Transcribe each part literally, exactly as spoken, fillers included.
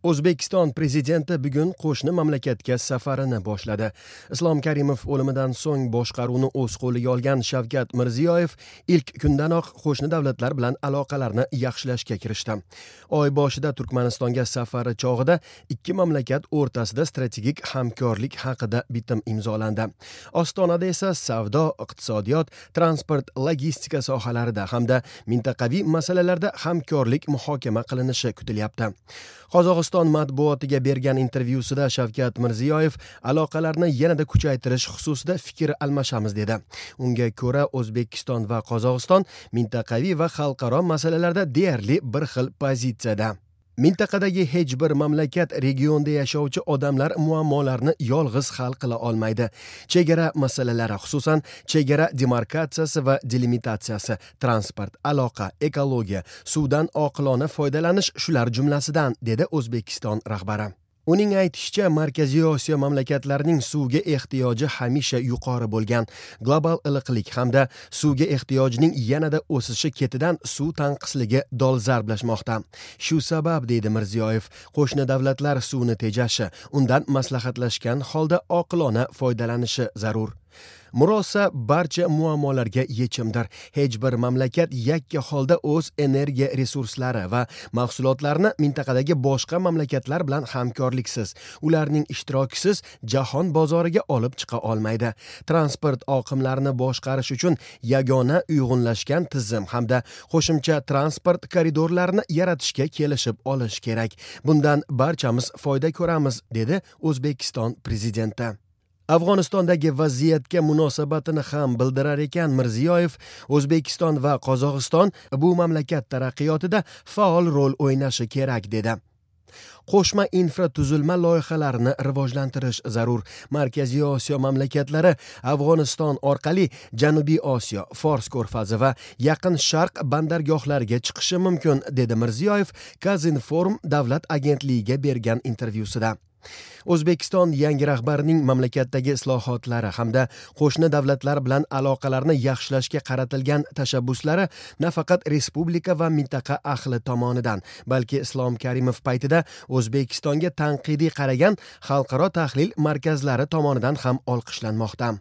O'zbekiston prezidenti bugun qo'shni mamlakatga safarini boshladi. Islom Karimov o'limidan so'ng boshqaruvni o'z qo'liga olgan Shavkat Mirziyoyev ilk kundanoq qo'shni davlatlar bilan aloqalarni yaxshilashga kirishdi. Oy boshida Turkmanistonga safari chog'ida ikki mamlakat o'rtasida strategik hamkorlik haqida bitim imzolandi. Ostonada esa savdo, iqtisodiyot, transport, logistika sohalarida hamda mintaqaviy masalalarda hamkorlik muhokama qilinishi kutilyapti. Qozog'iston matbuotiga bergan intervyusida Shavkat Mirziyoyev aloqalarni yanada kuchaytirish xususida fikr almashamiz dedi. Unga ko'ra O'zbekiston va Qozog'iston mintaqaviy va xalqaro masalalarda deyarli bir xil pozitsiyada. Mintaqadagi hech bir mamlakat regionda yashovchi odamlar muammolarini yolg'iz hal qila olmaydi. Chegara masalalari, xususan chegara demarkatsiyasi va delimitatsiyasi, transport, aloqa, ekologiya, suvdan oqilona foydalanish shular jumlasidan, dedi O'zbekiston rahbari. Uning aytishicha, Markaziy Osiyo mamlakatlarining suvga ehtiyoji hamisha yuqori bo'lgan. Global iliqlik hamda suvga ehtiyojning yanada o'sishi ketidan suv tanqisligi dolzarblashmoqda. Shu sabab, deydi Mirziyoyev, qo'shni davlatlar suvni tejashi, undan maslahatlashgan holda oqilona foydalanishi zarur. Murosa barcha muammolarga yechimdir. Hech bir mamlakat yakka holda o'z energiya resurslari va mahsulotlarini mintaqadagi boshqa mamlakatlar bilan hamkorliksiz, ularning ishtirokisiz jahon bozoriga olib chiqa olmaydi. Transport oqimlarini boshqarish uchun yagona uyg'unlashgan tizim hamda qo'shimcha transport koridorlarini yaratishga kelishib olish kerak. Bundan barchamiz foyda ko'ramiz, dedi O'zbekiston prezidenti. Afg'onistondagi vaziyatga munosabatini ham bildirar ekan Mirziyoyev, O'zbekiston va Qozog'iston bu mamlakat taraqqiyotida faol rol o'ynashi kerak, dedi. Qo'shma infratuzilma loyihalarini rivojlantirish zarur. Markaziy Osiyo mamlakatlari Afg'oniston orqali Janubiy Osiyo, Fors ko'rfazi va Yaqin Sharq bandargohlariga chiqishi mumkin, dedi Mirziyoyev Kazinform davlat agentligiga bergan intervyusida. O'zbekiston yangi rahbarining mamlakatdagi islohotlari hamda qo'shni davlatlar bilan aloqalarni yaxshilashga qaratilgan tashabbuslari nafaqat respublika va mintaqa ahli tomonidan, balki Islom Karimov paytida O'zbekistonga tanqidiy qaragan xalqaro tahlil markazlari tomonidan ham olqishlanmoqda.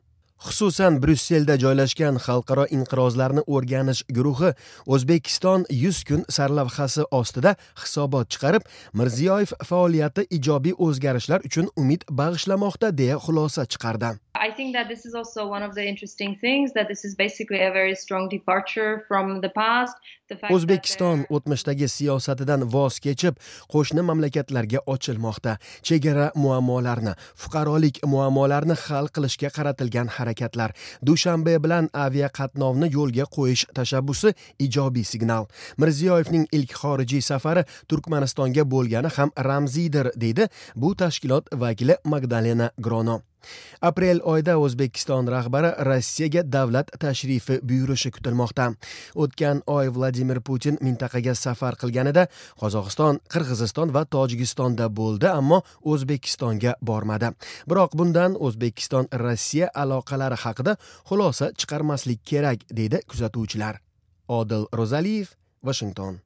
Xususan, Bryusselda joylashgan xalqaro inqirozlarni o'rganish guruhi O'zbekiston yuz kun sarlavhasi ostida hisobot chiqarib, Mirziyoyev faoliyati ijobiy o'zgarishlar uchun umid bag'ishlamoqda deya xulosa chiqardi. I think that this is also one of the interesting things, that this is basically a very strong departure from the past. O'zbekiston o'tmishdagi siyosatidan voz kechib, qo'shni mamlakatlarga ochilmoqda. Chegara muammolarini, fuqarolik muammolarini hal qilishga qaratilgan harakatlar, Dushanbe bilan aviaqatnovni yo'lga qo'yish tashabbusi ijobiy signal. Mirziyoyevning ilk xorijiy safari Turkmanistonga bo'lgani ham ramziydir, deydi bu tashkilot vakili Magdalena Grono. Aprel oyida O'zbekiston rahbari Rossiyaga davlat tashrifi buyurishi kutilmoqda. O'tgan oy Vladimir Putin mintaqaga safar qilganida Qozog'iston, Qirg'iziston va Tojikistonda bo'ldi, ammo O'zbekistonga bormadi. Biroq bundan O'zbekiston Rossiya aloqalari haqida xulosa chiqarmaslik kerak, deydi kuzatuvchilar. Odil Ro'zaliyev, Washington.